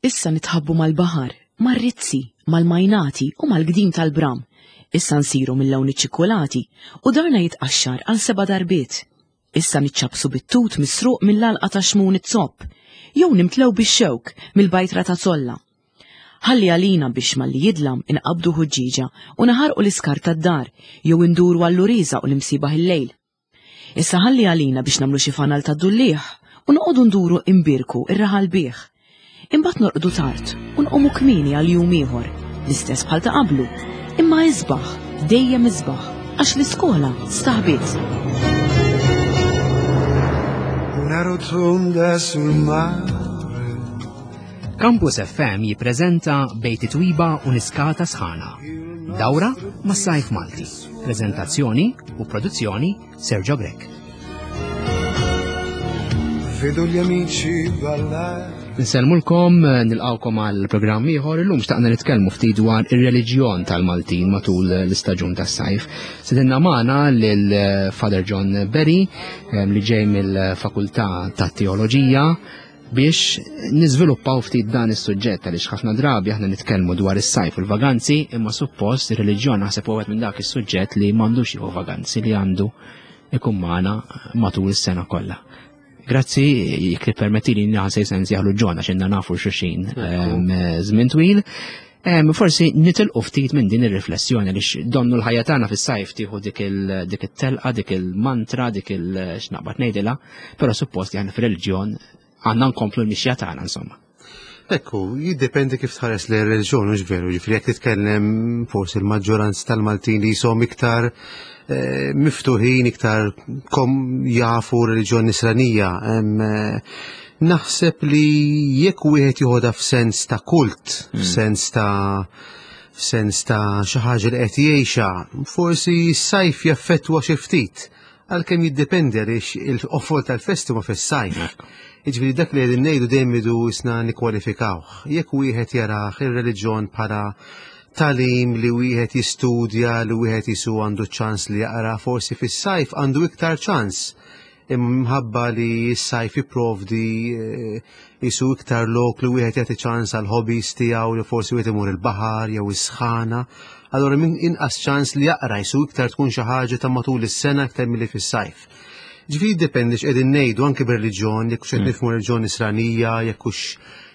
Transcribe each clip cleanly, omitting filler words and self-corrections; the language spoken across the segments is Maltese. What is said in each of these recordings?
Issa nitħabbu mal-baħar, mar-rizzi, mal-majnati u mal-gdim tal-bram. Issa nsiru mill-lawn iċ-ċikkulati u darna jitqaxxar għal seba' darbiet. Issa niċċappsu bit-tut misruq mill-għalqa ta' Xmun iz-Zopp, jew nimtlew bix-xewk mill-bajtra ta' Zolla. Ħalli għalina biex malli jidlam inqabbdu ħuġġieġa u naħarqu l-iskart tad-dar jew induru għall-uriża u l-imsiebaħ il-lejl. Issa ħalli għalina biex nagħmlu xi fanal tad-dulliegħ u noqogħdu nduru imbierku r-raħal bih. Imbagħad norqdu tard u nqumu kmieni għal jum ieħor, l-istess bħal ta' qablu, imma isbaħ, dejjem isbaħ, għax l-iskola staħbiet. Una rotonda sul mare. Campus FM jippreżenta Bejt Twiba u Niskata Sħana. Dawra mas-sajf Malti. Prezentazzjoni u produzzjoni Sergio Grech. Vedo gli amici ballare. Nsellmulkom, nilqawkom għal programm ieħor illum xtaqna nitkellmu ftit dwar ir-reliġjon tal-Maltin matul l-istaġun tas-sajf. Sidinna magħna lil Father John Berry eh, li ġej mill-Fakultà tat-Teoloġija biex niżviluppaw ftit dan is-suġġett għaliex ħafna drabi aħna nitkellmu dwar is-sajf u l-vaganzi, imma suppost ir-reliġjon naħseb huwa minn dak is-suġġett li m'għandux jieħu vaganzi li għandu ikun magħna matul is-sena kollha. Grazzi, jekk tippermettili naħseb se nsejħlu John għax inna nafu xulxin ehm, żmien twil. Ehm, forsi nitilqu ftit minn din ir-riflessjoni li donnu l-ħajja tagħna fis-sajf tieħu dik it-telqa, dik il-mantra, dik il-x'naqbad ngħidilha, però suppost li aħna fir-reliġjon għandna nkomplu l-mixja tagħna insomma. Ekku, jiddependi kif tħares li reliġjon mhux veru, ġifieri jekk titkellem forsi l-maġġoranza tal-Maltin li jisom iktar eh, miftuħin, iktar kom jafu reliġjon nisranija. Eh, naħseb li jekk wieħed joħodha f'sens ta' kult, hmm. f'sens ta' f'sens ta' xi ħaġa li qed jgħixha, forsi s-sajf jaffettwa xi ftit għalkemm jiddependi għaliex il-qofol tal-festi ma fis-sajf. Jiġifieri dak li qegħdin ngħidu dejjem idu isna nikkwalifikawh. Jekk wieħed jarah ir-reliġjon bħala talim li wieħed jistudja, li wieħed jisu għandu ċans li jaqra, forsi fis-sajf għandu iktar ċans imħabba li s-sajf jipprovdi eh, jisu iktar lok li wieħed jagħti ċans għal hobbies tiegħu li forsi wieħed imur il-baħar jew is-sħana. Allura min inqas ċans li jaqra jisu iktar tkun xi ħaġa ta' matul is-sena iktar milli fis-sajf. Ġifieri jiddependi x'qegħdin ngħidu anke bir-reliġjon, jekk hux qed mm. nifhmu reliġjon Nisranija, jekk hux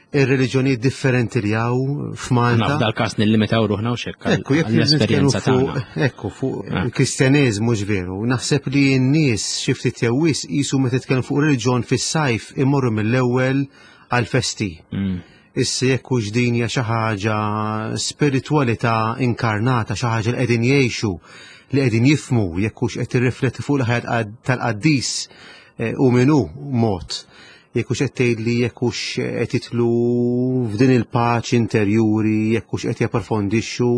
ir-reliġjonijiet differenti li hawn f'Malta. F'dal każ nillimitaw ruħna u xekk. Ekku, jekk l-esperjenza tagħna. Ekku, fuq ah. il-Kristjaneżmu ġveru, naħseb li n-nies xi ftit jew wisq qisu meta titkellem fuq reliġjon fis-sajf imorru mill-ewwel għall-festi. Mm. Issa jekk hux din hija xi ħaġa spiritwalità inkarnata, xi ħaġa li qegħdin jgħixu, li qegħdin jifmu, jekk hux qed tirrifletti fuq il-ħajja tal-qaddis eh, u min hu mod jekk hux qed tgħidli jekk hux qed jidħlu f'din il-paċi interjuri, jekk hux qed japprofondixxu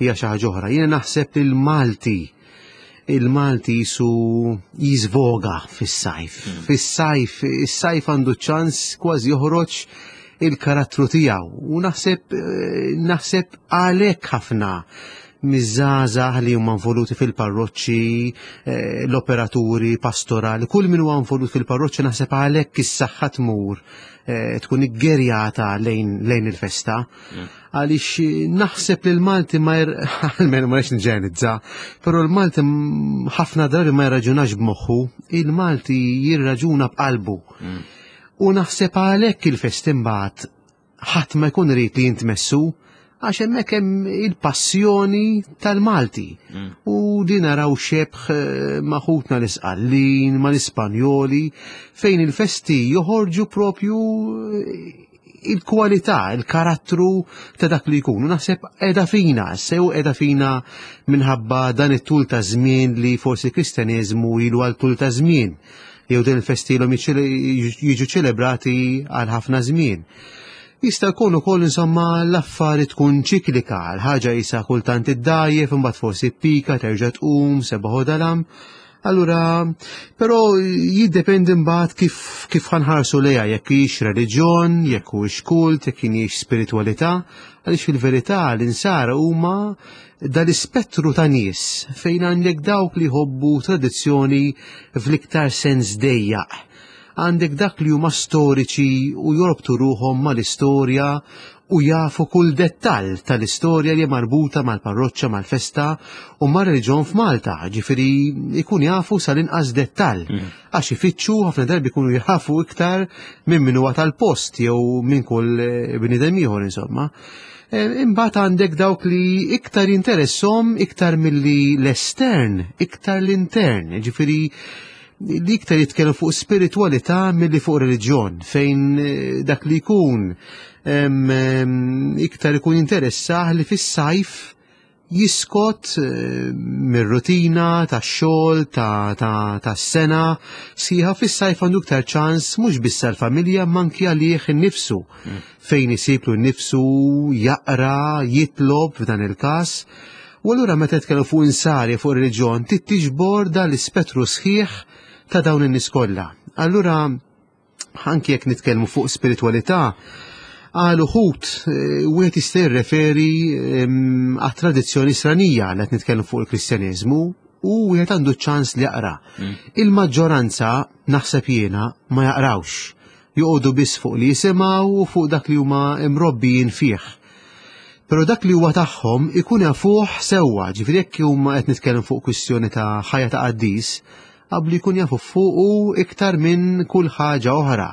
hija xi ħaġa oħra. Jiena naħseb li l-Malti il-Malti jisu jizvoga fis-sajf. Hmm. Fis-sajf, is-sajf għandu ċans kważi joħroġ il-karattru tiegħu u naħseb eh, naħseb għalhekk ħafna miż-żgħażagħ li huma involuti fil-parroċċi, eh, l-operaturi pastorali, kull min huwa involut fil-parroċċi naħseb għalhekk is-saħħa tmur eh, tkun iggerjata lejn, lejn il-festa. Mm. Għaliex eh, naħseb li l-Malti ma jir, almenu ma rridx nġenizza, però l-Malti ħafna drabi ma jirraġunax b'moħħu, il-Malti jirraġuna b'qalbu. Mm. U naħseb għalhekk il-festi mbagħad ħadd ma jkun irid li jintmessu għax hemmhekk hemm il-passjoni tal-Malti. Mm. U din naraw xebħ eh, ma' ħutna l-Isqallin, ma' l-Ispanjoli, fejn il-festi joħorġu propju eh, il-kwalità, il-karattru ta' dak li jkunu. Naħseb edha fina, sew edha fina minħabba dan it-tul ta' żmien li forsi kristjaneżmu ilu għal tul ta' żmien. jew din il-festi ilhom jiġu ċelebrati għal ħafna żmien. Jista' jkun ukoll insomma l-affari tkun ċiklika, l-ħaġa jisa kultant iddajjef, imbagħad forsi pika terġa' tqum, sebaħ dalam. Allura, però jiddependi mbagħad kif kif ħanħarsu lejha jekk hix reliġjon, jekk huwiex kult, jekk hijiex spiritwalità, għaliex fil-verità l-insara huma dal-ispettru ta' nies fejn għandek dawk li jħobbu tradizzjoni fl-iktar sens dejjaq. Għandek dak li huma storiċi u jorbtu ruħhom mal-istorja u jafu kull dettall tal-istorja li marbuta mal-parroċċa, mal-festa u mar-reliġjon f'Malta, ġifieri jkun jafu sal-inqas dettall. Għax ifittxu ħafna drabi jkunu jafu iktar minn min huwa tal-post jew minn kull bniedem ieħor insomma. Imbagħad għandek dawk li iktar jinteressom iktar milli l-estern, iktar l-intern, ġifieri li iktar jitkellmu fuq spiritualità milli fuq reliġjon, fejn dak li jkun iktar ikun interessah li fis-sajf jiskot mir-rutina tax-xogħol tas-sena sħiħa fis-sajf għandu iktar ċans mhux biss għall-familja imma anki għalih innifsu fejn isib lu nnifsu jaqra, jitlob f'dan il-każ. U allura meta nitkellmu fuq insari fuq reliġjon trid tiġbor dan l-ispettru sħiħ ta' dawn in-nies kollha. Allura anki jekk nitkellmu fuq spiritualità, għal uħud wieħed jista' jirreferi għat-tradizzjoni Nisranija li qed nitkellmu fuq il-Kristjaneżmu u wieħed għandu ċans li jaqra. Il-maġġoranza naħseb jiena ma jaqrawx. Joqogħdu biss fuq li jisimgħu u fuq dak li huma mrobbijin fih. Però dak li huwa tagħhom ikun jafuh sewwa, ġifieri jekk huma qed nitkellem fuq kwistjoni ta' ħajja ta' qaddis, qablu jkun jafu fuqu iktar minn kull ħaġa oħra.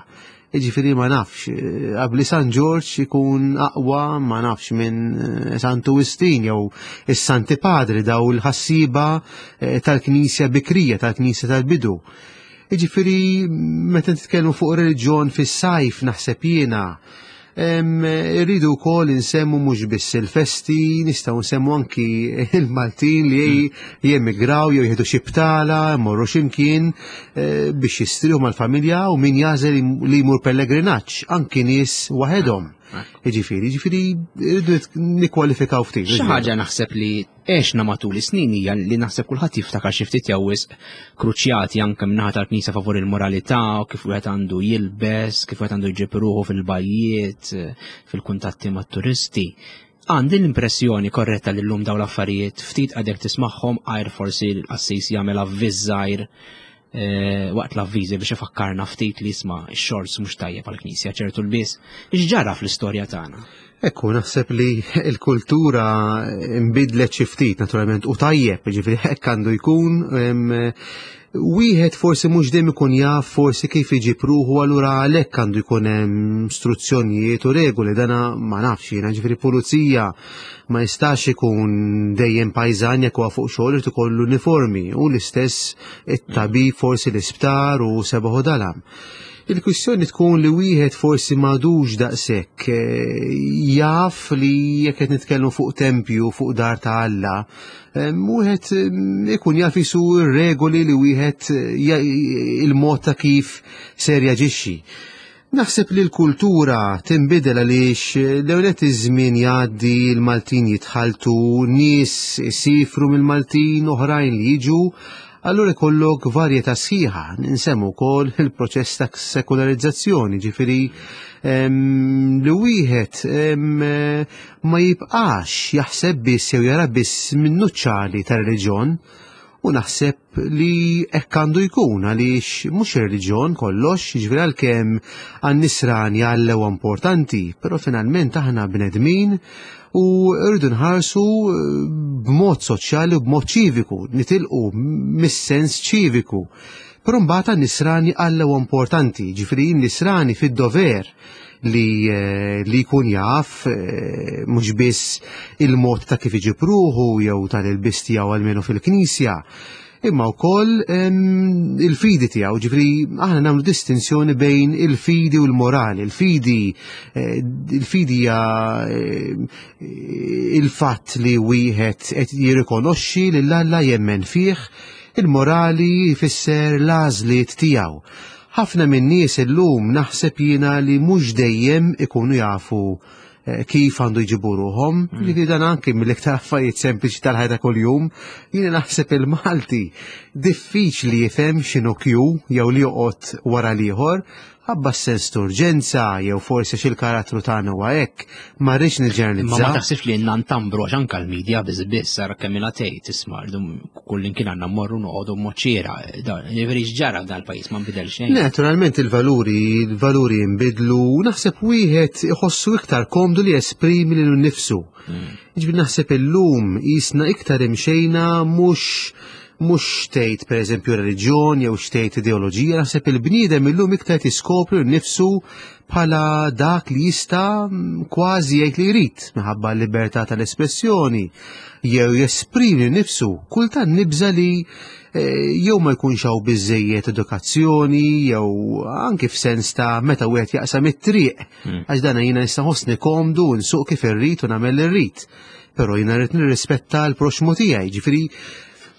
Jiġifieri ma nafx, qabli San Ġorġ ikun aqwa ma nafx minn Santu Wistin jew is-Santi Padri daw il-ħassiba tal-Knisja bikrija, tal-Knisja tal-bidu. Jiġifieri meta nitkellmu fuq reliġjon fis-sajf naħseb jiena irridu wkoll insemmu mhux biss il-festi, nistgħu nsemmu anki il-Maltin li jemigraw jew jieħdu xi btala, jmorru x'imkien biex jistrieħu mal-familja u min jagħżel li jmur pellegrinaġġ, anki nies waħedhom. Jiġifieri, jiġifieri rridu nikkwalifikaw ftit. Xi ħaġa naħseb li għexna matul is-snin hija li naħseb kulħadd jiftakar xi ftit jew wisq kruċjati anke min-naħa tal-Knisja favur il-moralità u kif wieħed għandu jilbes, kif wieħed għandu jġib ruħu fil-bajjiet, fil-kuntatti mat-turisti. Għandi l-impressjoni korretta li llum dawn l-affarijiet ftit għadek tismagħhom għajr forsi l-qassis jagħmel avviż żgħir waqt l-avviżi biex ifakkarna ftit li jisma' x-xorts mhux tajjeb għall-Knisja ċertu lbies. X'ġara fl-istorja tagħna? Ekku, naħseb li l-kultura nbidlet xi ftit naturalment u tajjeb, ġifieri hekk għandu jkun. Wieħed forsi mhux dejjem ikun jaf forsi kif iġib ruħu, allura għalhekk għandu jkun hemm struzzjonijiet u regoli, dana ma nafx jiena, ġifieri pulizija ma jistax ikun dejjem pajżan jekk huwa fuq xogħol irid ikollu uniformi u l-istess it-tabib forsi l-isptar u sebaħu dalam. Il-kwistjoni tkun li wieħed forsi m'għadux daqshekk jaf li jekk qed nitkellmu fuq tempju, fuq dar ta' Alla, wieħed ikun jaf isu r-regoli li wieħed il-mod ta' kif ser jaġixxi. Naħseb li l-kultura tinbidel għaliex l-ewwel nett iż-żmien jgħaddi, il-Maltin jitħalltu, nies isifru mill-Maltin, oħrajn li jiġu, allura jkollok varjetà sħiħa. Nsemmu wkoll il-proċess ta' sekularizzazzjoni, ġifieri li wieħed ma jibqax jaħseb biss jew jara biss min-nuċċali tar-reliġjon, u naħseb li hekk għandu jkun għaliex mhux ir-reliġjon kollox, jiġifieri għalkemm għan-nisrani Alla huwa importanti, però finalment aħna bnedmin u rridu nħarsu b'mod soċjali u b'mod ċiviku, nitilqu mis-sens ċiviku. Però mbagħad għan-nisrani Alla huwa importanti, jiġifieri n-nisrani fid-dover li jkun jaf mhux biss il-mod ta' kif iġib ruħu jew tal-ilbies tiegħu almenu fil-knisja, imma wkoll il-fidi tiegħu. Ġifieri aħna nagħmlu distinzjoni bejn il-fidi u l-morali. Il-fidi hija il-fatt li wieħed qed jirrikonoxxi lil Alla, jemmen fih, il-morali jfisser l-għażliet tiegħu. Ħafna min-nies illum naħseb jiena li mhux dejjem ikunu jafu kif għandu jġibu ruħhom. Jiġifieri dan anki mill-iktar affarijiet sempliċi tal-ħajja ta' kuljum, jiena naħseb il-Malti diffiċli jifhem x'inhu kju jew li joqgħod wara l-ieħor. Ħabba s-sens t'urġenza jew forsi xi l-karattru tagħna huwa hekk, ma rridx niġġeneralizza. Ma ma taħsibx li jenna ntambru għax anke l-medja biss biss sara kemm ilha tgħid isma' kull imkien għandna mmorru noqogħdu moċċiera. Jiġifieri x'ġara f'dan il-pajjiż ma nbidel xejn. Naturalment il-valuri, il-valuri jinbidlu u naħseb wieħed iħossu iktar komdu li jesprimi lilu nnifsu. Hmm. Jiġifieri naħseb illum qisna iktar imxejna mhux mhux xtejt pereżempju reliġjon jew xtejt ideoloġija, naħseb il-bniedem illum iktar tiskopri nnifsu bħala dak li jista' kważi jgħid li jrid minħabba l-libertà tal-espressjoni jew jesprimi nnifsu. Kultant nibża li eh, jew ma jkunx hawn biżejjed edukazzjoni jew anki f'sens ta' meta wieħed jaqsam it-triq hmm. għax dan jiena nista' ħossni komdu nsuq kif irrid u nagħmel li rrid. Però jiena rrid nirrispetta l-proxmu tiegħi, ġifieri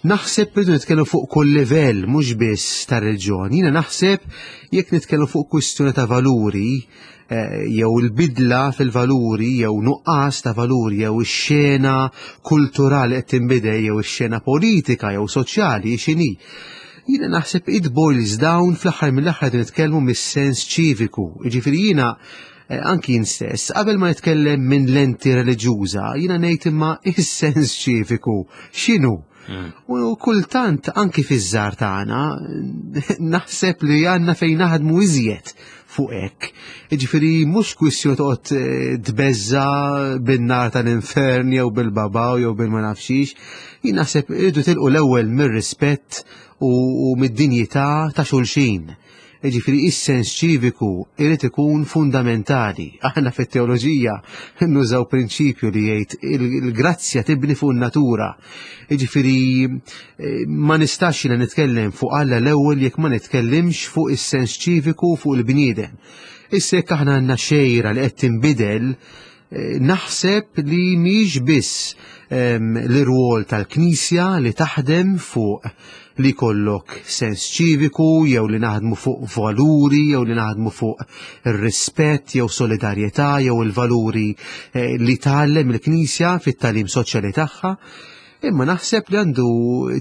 naħseb rridu nitkellmu fuq kull livell mhux biss ta' reliġjon. Jiena naħseb jekk nitkellmu fuq kwistjoni ta' valuri eh, jew il-bidla fil-valuri jew nuqqas ta' valuri jew ix-xena kulturali qed tinbidel jew ix-xena politika jew soċjali x'inhi. Jiena naħseb it boils down fl-aħħar mill-aħħar nitkellmu mis-sens ċiviku. Jiġifieri jiena Eh, anki jien stess, qabel ma nitkellem minn lenti reliġjuża, jiena ngħid imma is-sens ċiviku x'inhu? Mm. U kultant anki fiż-żar tagħna naħseb li għandna fejn naħdmu iżjed fuq hekk. Jiġifieri mhux kwistjoni toqgħod eh, tbeżża bin-nar tal-infern jew bil-babaw jew bil-ma nafxix. Jien naħseb irridu tilqu l-ewwel mir-rispett u mid-dinjità ta' xulxin. Jiġifieri is-sens ċiviku irid ikun fundamentali. Aħna fit-teoloġija nużaw prinċipju li jgħid il-grazzja tibni fuq in-natura. Jiġifieri eh, ma nistax jiena nitkellem fuq Alla l-ewwel jekk ma nitkellimx fuq is-sens ċiviku fuq il-bniedem. Issa jekk aħna għandna xejra li qed tinbidel, eh, naħseb li mhix biss ehm, l-irwol tal-Knisja li taħdem fuq li jkollok sens ċiviku jew li naħdmu fuq valuri jew li naħdmu fuq ir-rispett jew solidarjetà jew il-valuri eh, li tgħallem il-Knisja fit-tagħlim soċjali tagħha. Imma naħseb li għandu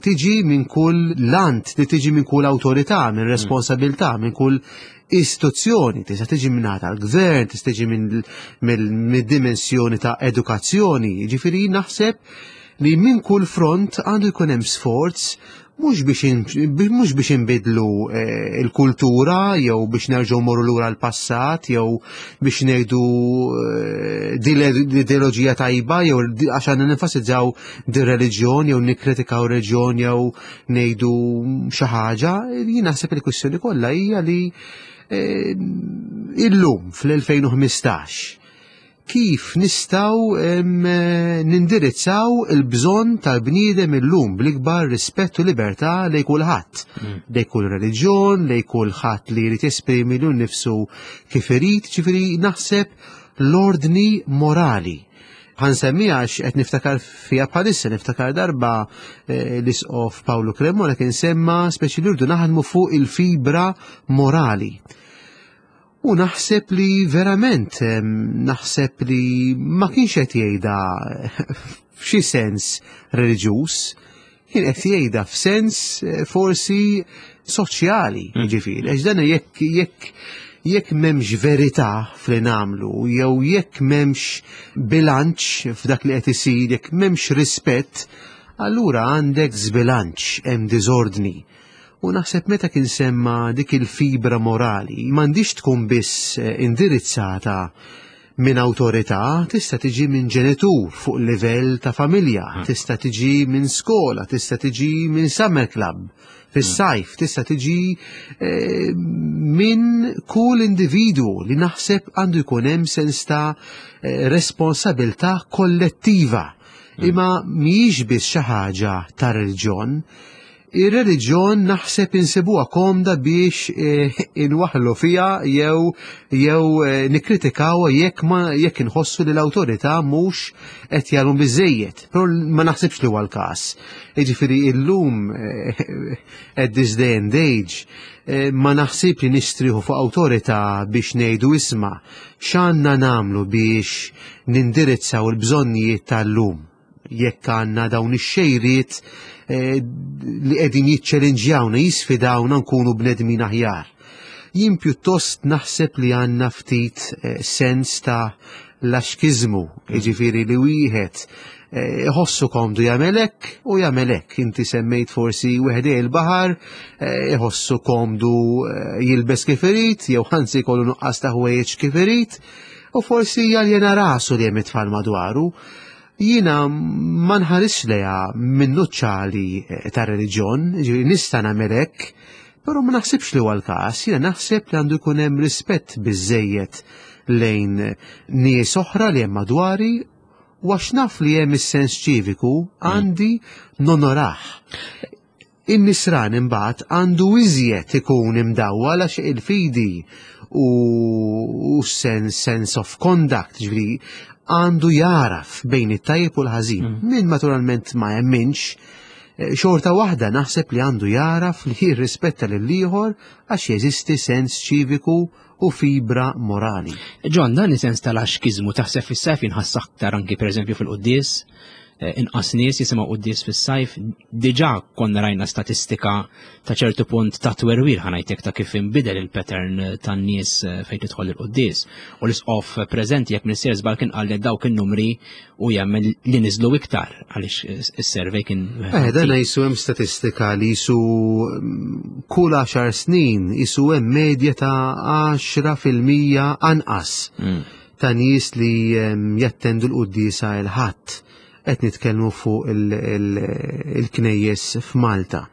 tiġi minn kull lant, li tiġi minn kull awtorità, minn mm. responsabilità, minn kull istituzzjoni, tista' tiġi minn tal-gvern, tista' tiġi minn dimensjoni ta' edukazzjoni. Ġifieri naħseb li minn kull front għandu jkun hemm sforz mhux biex mhux biex inbidlu eh, il-kultura jew biex nerġgħu morru lura l-passat jew biex ngħidu eh, di l-ideoloġija tajba jew għax għandna nenfasizzaw di reliġjon jew nikkritikaw reliġjon jew ngħidu xi ħaġa, jien naħseb il-kwistjoni kollha hija li eh, illum fl-2015 kif nistgħu nindirizzaw il-bżonn tal-bniedem illum bl-ikbar rispett u libertà lejn kulħadd, mm. lejn kull reliġjon, lejn kulħadd li jrid jesprimi lilu nnifsu kif irid, ġifieri naħseb l-ordni morali. Ħa nsemmiha għax qed niftakar fiha bħalissa, niftakar darba eh, l-isqof Paolo Cremona kien semma speċi li rridu naħdmu fuq il-fibra morali. U naħseb li verament, naħseb li ma kienx qed jgħidha f'xi sens reliġjuż, kien qed jgħidha f'sens eh, forsi soċjali, mm. ġifieri, għax dan jekk jekk jekk m'hemmx verità f'li nagħmlu jew jekk m'hemmx bilanċ f'dak li qed isir, jekk m'hemmx rispett, allura għandek żbilanċ, hemm diżordni. U naħseb meta kien semma dik il-fibra morali, m'għandix tkun biss eh, indirizzata minn awtorità, tista' tiġi minn ġenitur fuq livell ta' familja, hmm. tista' tiġi minn skola, tista' tiġi minn summer club, fis-sajf, tista' tiġi eh, minn kull individu li naħseb għandu jkun hemm sens ta' eh, responsabilità kollettiva. Hmm. Imma mhijiex biss xi ħaġa ta' reliġjon, Ir-reliġjon naħseb insibuha komda biex eh, inwaħlu fiha jew jew eh, nikkritikaw jekk ma jekk inħossu li l-awtorità mhux qed jagħmlu biżejjed. Però ma naħsibx li huwa l-każ. Jiġifieri illum eh, at this day and age ma naħsib li nistriħu fuq awtorità biex ngħidu isma' x'għandna nagħmlu biex nindirizzaw il-bżonnijiet tal-lum jekk għandna dawn ix-xejriet eh, li qegħdin jiċċelinġjawna, jisfidawna nkunu bnedmin aħjar. Jien pjuttost naħseb li għandna ftit eh, sens ta' laxkiżmu, jiġifieri li wieħed eh, iħossu komdu jagħmel hekk u jagħmel hekk. Inti semmejt forsi wieħed il-baħar, eh, iħossu komdu jilbes kif irid, jew ħansi jkollu nuqqas ta' ħwejjeġ kif irid, u forsi jaljena rasu li hemm it-tfal madwaru. Jiena ma nħarisx lejha minn nuċċali eh, ta' reliġjon, ġifieri nista' nagħmel hekk, però ma naħsibx li huwa l-każ, jiena naħseb li għandu jkun hemm rispett biżejjed lejn nies oħra li hemm madwari u għax naf li hemm is-sens ċiviku għandi nonorah. In-nisran imbagħad għandu iżjed ikun imdawwal għax il-fidi u sens sense of conduct, ġifieri għandu jaraf bejn it-tajjeb u l-ħażin. Mm. Min naturalment ma jemminx, eh, xorta waħda naħseb li għandu jaraf li jirrispetta lil ieħor għax jeżisti sens ċiviku u fibra morali. John, dan is-sens tal-axkiżmu taħseb fis-sajf jinħass aktar anki pereżempju fil-quddies, eh, inqas nies jisimgħu quddies fis-sajf, diġà konna rajna statistika ta' ċertu punt ta' twerwir ħanajtek ta' kif inbidel il-pattern tan-nies eh, fejn tidħol il-quddies. U l-isqof preżenti jekk minister żball kien qal li dawk in-numri u jemmen li niżlu iktar għaliex is-survey kien. Eh, dan jisu hemm statistika li jisu mm, kull 10 snin jisu hemm medja ta' 10% anqas mm. ta' nies li mm, jattendu l-quddiesa il-ħadd qed nitkellmu fuq il-knejjes f'Malta.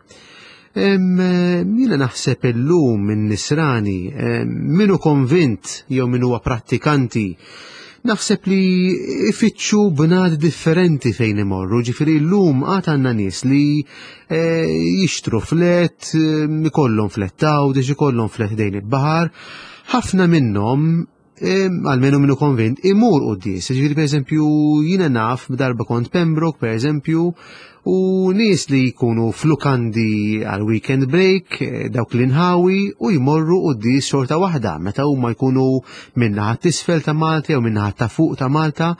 Jiena naħseb illum minn nisrani, minu konvint jew min huwa prattikanti, naħseb li ifittxu bnad differenti fejn imorru, ġifieri llum għad għandna nies li eh, jixtru flet, ikollhom flet tawdex, ikollhom flet dejn il-baħar, ħafna minnhom għalmenu minnu konvint, imur quddies. Ġifieri pereżempju jiena naf darba kont Pembroke pereżempju u nies li jkunu flukandi għal weekend break, eh, dawk l-inħawi u jmorru quddies xorta waħda meta huma jkunu minnaħa t'isfel ta' Malta jew minnaħa ta' fuq ta' Malta.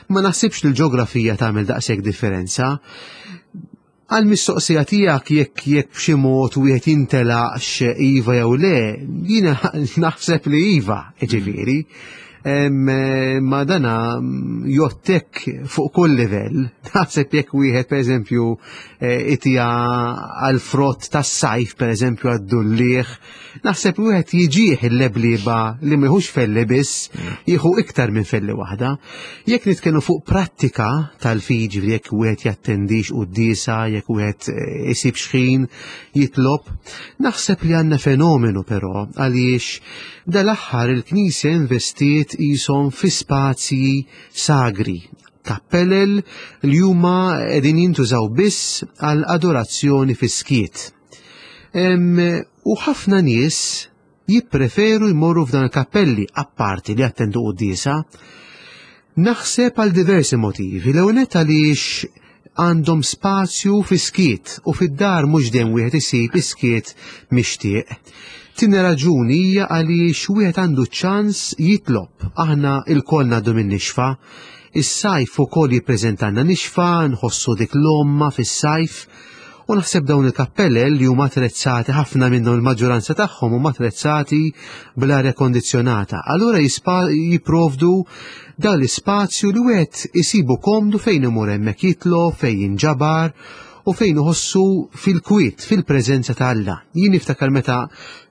Ma naħsibx li l-ġeografija tagħmel daqshekk differenza. Għall-mistoqsija tiegħek jekk jekk b'xi mod wieħed jintelaqx iva jew le, jiena naħseb li iva, ġifieri. Ma dana jottek fuq kull livell. Naħseb jekk wieħed pereżempju eh, itija għal frott tas-sajf pereżempju għad-dulliegħ, Naħseb li wieħed jiġih il-leblieba li ma jħux felli biss, jieħu iktar minn felli waħda. Jekk nitkellmu fuq prattika tal-fidi, jekk wieħed jattendix quddiesa, jekk wieħed eh, isib xħin jitlob, naħseb li għandna fenomenu però għaliex dal-aħħar il-Knisja investiet qishom fi spazji sagri, kappelel li huma qegħdin jintużaw biss għal adorazzjoni fis-skiet. U ħafna nies jippreferu jmorru f'dan il-kappelli apparti li jattendu quddiesa. Naħseb għal diversi motivi. L-ewwel nett għaliex għandhom spazju fi skiet u fid-dar mhux dejjem wieħed isib is-skiet mixtieq. Tieni raġuni hija għaliex wieħed għandu ċans jitlob. Aħna lkoll ngħaddu minn nixfa. Is-sajf ukoll jippreżentanna nixfa, nħossu dik l-għomma fis-sajf. U naħseb dawn il-kappellel li huma attrezzati ħafna minnhom il-maġġoranza tagħhom huma attrezzati bl-arja kondizzjonata. Allura jipprovdu dan l-ispazju li wieħed isibu komdu fejn imur hemmhekk jitlob, fejn jinġabar u fejn iħossu fil-kwiet, fil-preżenza ta' Alla. Jien niftakar meta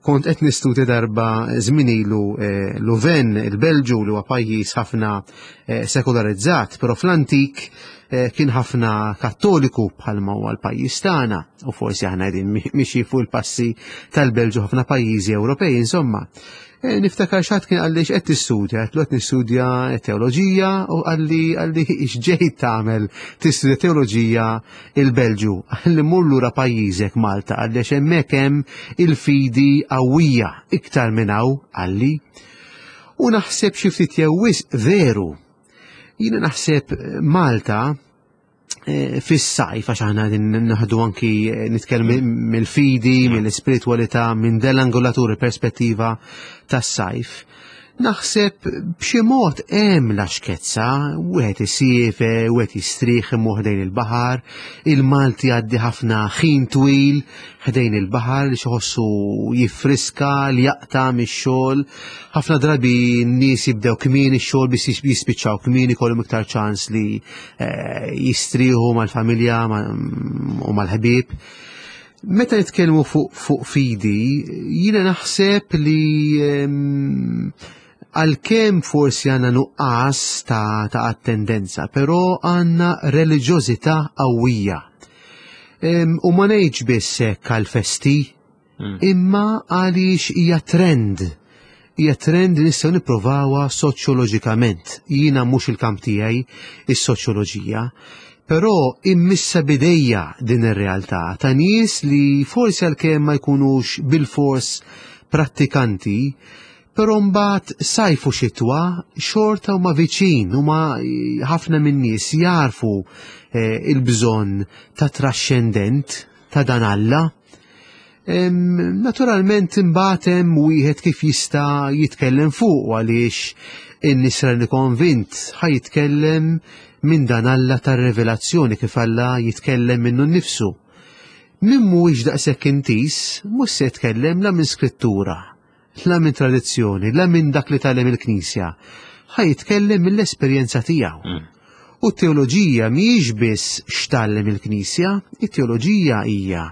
kont qed nistudja darba żmien ilu eh, Louvain, il-Belġu li huwa pajjiż ħafna eh, sekularizzat, però fl-antik Eh, kien ħafna kattoliku bħalma huwa l-pajjiż tagħna u forsi aħna qegħdin mixi fuq il-passi tal-Belġu ħafna pajjiżi Ewropej, insomma. Eh, niftakar xatt kien qalli x'qed tistudja, qed qed nistudja teoloġija u qalli qalli x'ġejt tagħmel tistudja teoloġija il-Belġu. Qalli mur lura pajjiżek Malta qalli għax hemmhekk hemm il-fidi qawwija iktar minn hawn qalli. U naħseb xi ftit jew wisq veru Jiena naħseb eh, Malta eh, fis-sajf għax aħna naħdu anki eh, nitkellmu mill-fidi, mill-ispiritwalità, minn dell-angolatura perspettiva tas-sajf. Naħseb b'xi mod hemm laxkezza, wieħed isiefer, wieħed jistrieħ imur ħdejn il-baħar, il-Malti jgħaddi ħafna ħin twil ħdejn il-baħar li iħossu jiffriska li jaqta' mix-xogħol. Ħafna drabi n-nies jibdew kmieni x-xogħol biex jispiċċaw kmieni jkollhom iktar ċans li eh, jistrieħu mal-familja u mal-ħbieb. Meta nitkellmu fuq fu fidi, jiena naħseb li ehm, għalkemm forsi għandna nuqqas ta', ta attendenza, però għandna reliġjożità qawwija. Ehm, u ma ngħidx biss hekk għall-festi, hmm. imma għaliex hija trend. Hija trend li nistgħu nipprovawha soċjoloġikament. Jiena mhux il-kamp tiegħi is-soċjoloġija, però immissa bidejja din ir-realtà ta' nies li forsi għalkemm ma jkunux bilfors prattikanti, però mbagħad sajf u xitwa xorta huma viċin huma ħafna min-nies jarfu eh, il-bżonn ta' traxxendent ta' dan Alla. Naturalment imbagħad hemm wieħed kif jista' jitkellem fuq għaliex in-nisrani konvint ħa jitkellem minn dan Alla tar-revelazzjoni kif Alla jitkellem minnu nnifsu. Min mhuwiex daqshekk intiż mhux se jitkellem la minn skrittura, la minn tradizzjoni, la minn dak li tgħallem il-Knisja. Ħa jitkellem mill-esperjenza tiegħu. Mm. U t-teoloġija mhijiex biss x'tgħallem il-Knisja, it-teoloġija hija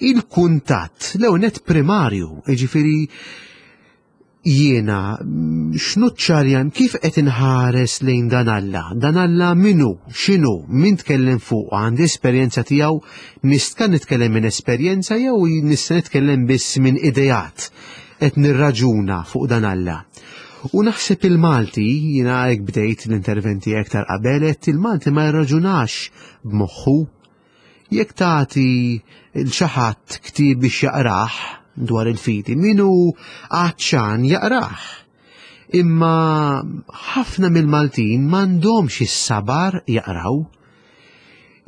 il-kuntatt l-ewwel primarju, jiġifieri jiena x'nuċċarjan kif qed inħares lejn dan Alla, dan Alla minu, x'inhu, min tkellem fuq, għandi esperjenza tiegħu, nista' nitkellem minn esperjenza jew nista' nitkellem biss minn ideat qed nirraġuna fuq dan Alla. U naħseb il-Malti, jiena hekk bdejt l-interventi aktar qabel, qed il-Malti ma jirraġunax b'moħħu. Jekk tagħti l xi ħadd ktieb biex jaqrah dwar il-fidi, min hu għatxan jaqrah. Imma ħafna mill-Maltin m'għandhomx is-sabar jaqraw.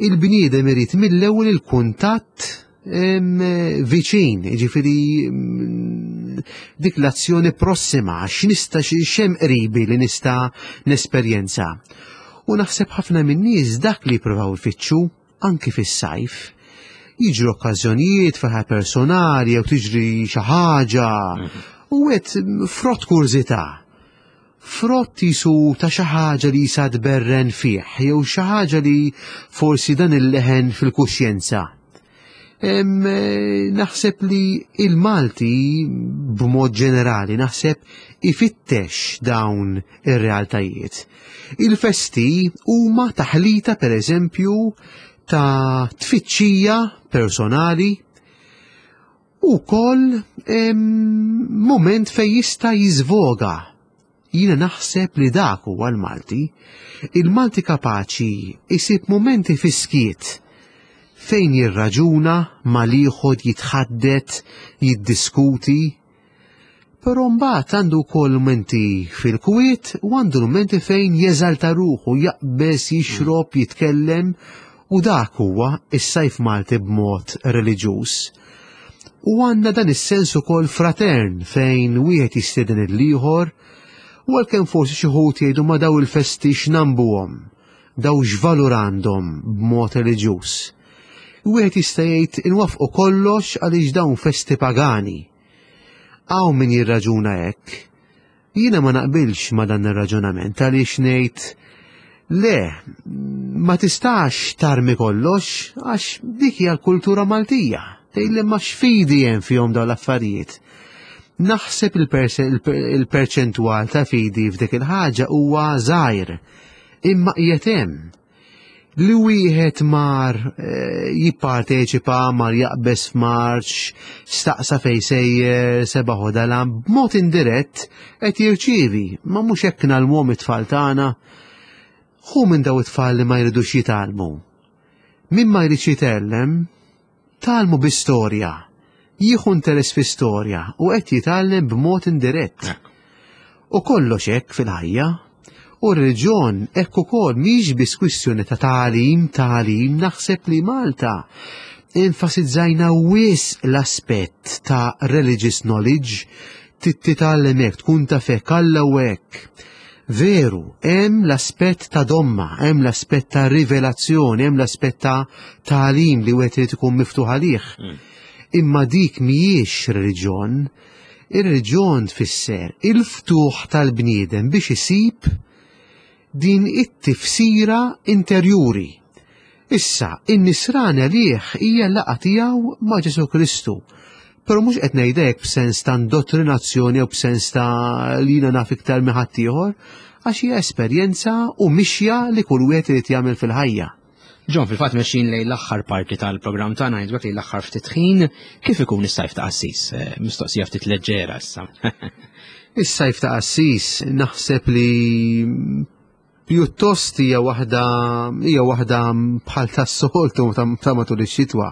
Il-bniedem irid mill-ewwel il-kuntatt viċin, ġifiri mm, dik l-azzjoni prossima, x'nista' xem qribi li nista' nesperjenza. U naħseb ħafna min-nies dak li jippruvaw ifittxu anki fis-sajf. Jiġru okkażjonijiet fil personali jew tiġri xi ħaġa mhm. u qed frott kurżità. Frott jisu ta' xi ħaġa li jisa tberren fih jew xi ħaġa li forsi dan il-leħen fil-kuxjenza. Eh, naħseb li il-Malti b'mod ġenerali naħseb ifittex dawn ir-realtajiet. Il-festi huma taħlita per eżempju ta' tfittxija personali u kol moment fej jista' jiżvoga. Jiena naħseb li dak huwa l-Malti. Il-Malti kapaċi jsib mumenti fis-skiet fejn jirraġuna mal-ieħor jitħaddet, jiddiskuti, Però mbagħad għandu wkoll mumenti fil-kwiet u għandu mumenti fejn jeżalta ruħu, jaqbeż, jixrob, jitkellem u dak huwa is-sajf Malti b'mod reliġjuż. U għandna dan is-sens ukoll fratern fejn wieħed jistieden il-ieħor u għalkemm forsi xi wħud jgħidu ma daw il-festi x'nambuhom, daw x'valur għandhom b'mod reliġjuż. Wieħed jista' jgħid inwaffqu kollox għaliex dawn festi pagani. Hawn min jirraġuna hekk. Jiena ma naqbilx ma dan ir-raġunament għaliex ngħid le, ma tistax tarmi kollox għax dik hija l-kultura Maltija. Tgħidli ma x'fidi hemm fihom dawn l-affarijiet. Naħseb il-perċentwal ta' fidi f'dik il-ħaġa huwa żgħir, imma qiegħed hemm. Li wieħed mar eh, jipparteċipa, mar jaqbeż f'marċ, staqsa fej sejjer, seba' ħodala, b'mod indirett qed jirċievi, ma mhux hekk nagħlmuhom it-tfal tagħna. Hu minn daw it-tfal li ma jridux jitgħallmu. Min ma jridx jitgħallem, Tgħallmu bi storja, jieħu interess fi storja u qed jitgħallem b'mod indirett. U kollox hekk fil-ħajja. U r-reliġjon hekk ukoll mhix biss kwistjoni ta' tagħlim, tagħlim, naħseb li Malta enfasizzajna wisq l-aspett ta' religious knowledge, Titgħallem hekk, tkun taf hekk, Alla hu hekk. Veru, hemm l-aspett ta' domma, hemm l-aspett ta' rivelazzjoni, hemm l-aspett ta' tagħlim li wieħed irid ikun miftuħ għalih. Imma dik mhijiex reliġjon. Ir-reliġjon tfisser il-ftuħ tal-bniedem biex isib din it-tifsira interjuri. Issa, in-nisrani għalih hija l-laqgħa tiegħu ma' Ġesù Kristu. Però mhux qed ngħidha hekk b'sens ta' indottrinazzjoni jew b'sens ta' li jiena naf iktar minn ħaddieħor, għax hija esperjenza u mixja li kull wieħed irid jagħmel fil-ħajja. John, fil-fatt mexjin lejn l-aħħar parti tal-programm tagħna, ngħidlek lejn l-aħħar ftit ħin, kif ikun is-sajf ta' qassis? Mistoqsija ftit leġġera issa. Is-sajf ta' qassis naħseb li pjuttost hija waħda hija waħda bħal tas-soltu ta' matul ix-xitwa.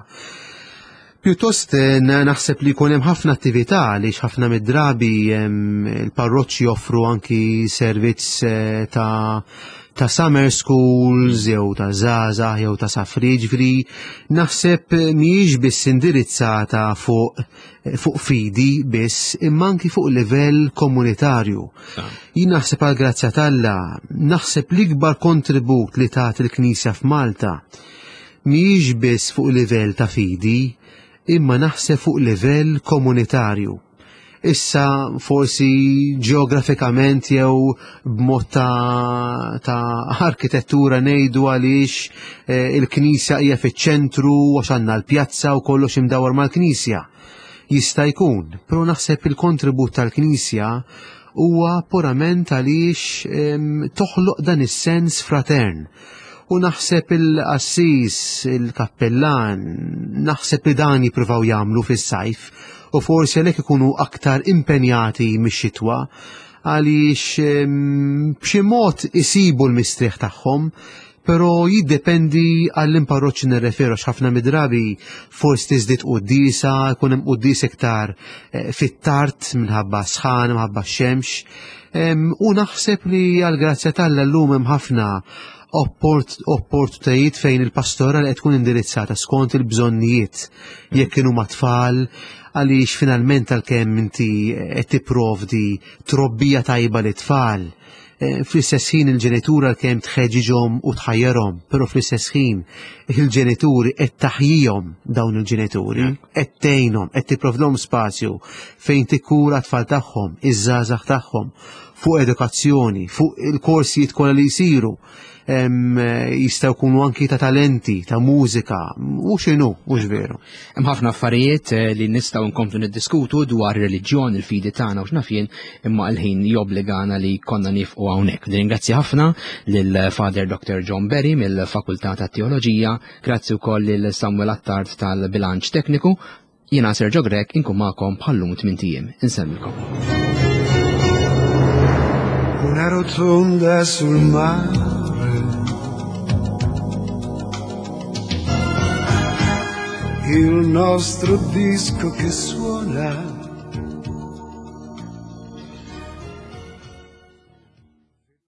Pjuttost naħseb li jkun hemm ħafna attività għaliex ħafna mid-drabi il-parroċċi joffru anki servizz ta' summer schools jew ta' żgħażagħ jew ta' safri, ġifieri naħseb mhijiex biss indirizzata fuq fidi biss imma anki fuq livell komunitarju. Jien naħseb għal grazzja t'Alla, naħseb l-ikbar kontribut li tat il-Knisja f'Malta mhijiex biss fuq livell ta' fidi, imma naħseb fuq livell komunitarju. Issa forsi ġeografikament jew b'mod ta' arkitettura ngħidu għaliex il-knisja hija fiċ-ċentru għax għandna l-pjazza u kollox imdawwar mal-knisja. Jista' jkun, però naħseb il-kontribut tal-knisja huwa purament għaliex toħloq dan is-sens fratern. U naħseb il-qassis, il-kappellan, naħseb li dan jippruvaw jagħmlu fis-sajf u forsi għalhekk ikunu aktar impenjati mix-xitwa għaliex b'xi mod isibu l-mistrieħ tagħhom, però jiddependi għall-imparroċċi nirreferu għax ħafna mid-drabi forsi tiżdied quddiesa, jkun hemm quddies iktar fit-tard minħabba sħan, minħabba x-xemx. U naħseb li għall-grazzja t'Alla llum hemm ħafna opportunitajiet fejn il-pastorali qed tkun indirizzata skont il-bżonnijiet jekk kienu ma' tfal, għaliex finalment għalkemm inti qed tipprovdi trobbija tajba lit-tfal, fl-istess ħin il-ġenitur għalkemm tħeġġiġhom u tħajjarhom, però fl-istess ħin il-ġenituri qed taħjihom dawn il-ġenituri, qed tgħinhom, qed tipprovdhom spazju fejn tikkura t-tfal tagħhom, iż-żgħażagħ tagħhom, fuq edukazzjoni, fuq il-korsijiet kollha li jsiru. Jistgħu jkunu anki ta' talenti, ta' mużika, u x'inhu, u x'veru. Hemm ħafna affarijiet li nistgħu nkomplu niddiskutu dwar ir-reliġjon, il-fidi tagħna u x'naf jien, imma l-ħin jobbligana li konna nifqu hawnhekk. Nirringrazzja ħafna lil Father Dr. John Berry mill-Fakultà tat-Teoloġija, grazzi wkoll lil Samuel Attard tal-Bilanċ Tekniku. Jiena Sergio Grech inkun magħkom bħallum 8 ijiem. Insellmilkom. Una rotonda sul mare. Il nostro disco che suona.